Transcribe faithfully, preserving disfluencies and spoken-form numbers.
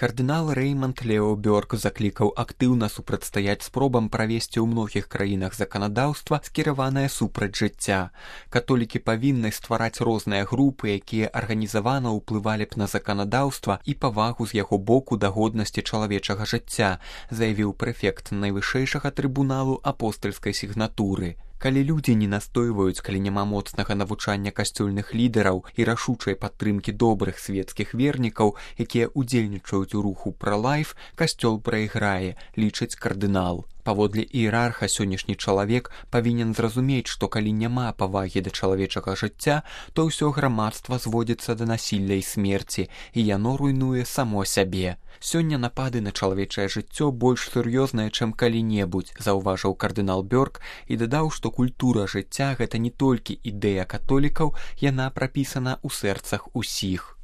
Кардынал Рэйманд Лео Бёрк заклікаў актыўна супрацьстаяць спробам правесці ў многіх краінах заканадаўства, скіраванае супраць жыцця. Католікі павінны ствараць розныя групы, якія арганізавана ўплывалі б на заканадаўства і павагу з яго боку да годнасці чалавечага жыцця, заявіў прэфект найвышэйшага трыбуналу апостальскай сігнатуры. Калі людзі не настойваюць, калі няма моцнага навучання касцёльных лідараў і рашучай падтрымкі добрых свецкіх вернікаў, якія ўдзельнічаюць у руху пра-лайф, касцёл прайграе, лічыць кардынал. Паводле іерарха сённяшні чалавек павінен зразумець, што калі няма павагі да чалавечага жыцця, то ўсё грамадства зводзіцца да насілля і смерці, і яно руйнуе само сябе. Сёння напады на чалавечае жыццё больш сур'ёзныя, чым калі-небудзь, заўважыў кардынал Бёрк і дадаў, што культура жыцця гэта не толькі ідэя католікаў, яна прапісана ў сэрцах усіх.